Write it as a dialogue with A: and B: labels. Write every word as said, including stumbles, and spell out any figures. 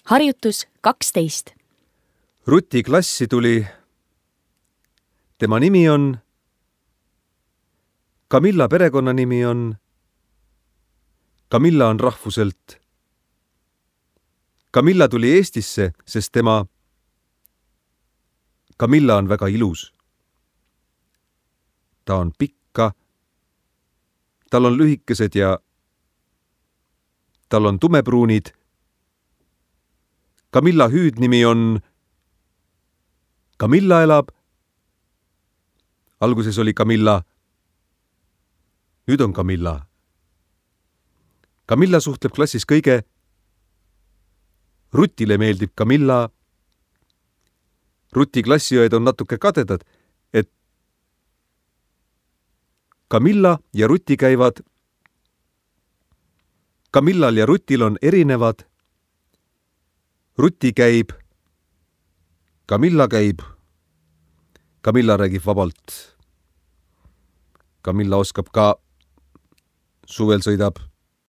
A: Harjutus kaksteist.
B: Ruti klassi tuli. Tema nimi on. Camilla perekonnanimi on. Camilla on rahvuselt. Camilla tuli Eestisse, sest tema. Camilla on väga ilus. Ta on pikka. Tal on lühikesed ja tal on tumepruunid. Camilla hüüdnimi on. Camilla elab. Alguses oli Camilla. Nüüd on Camilla. Camilla suhtleb klassis kõige. Rutile meeldib Camilla. Ruti klassiõed on natuke kadedad, et Camilla ja Ruti käivad. Camillal ja Rutil on erinevad. Ruti käib. Camilla käib. Camilla räägib vabalt. Camilla oskab ka. Suvel sõidab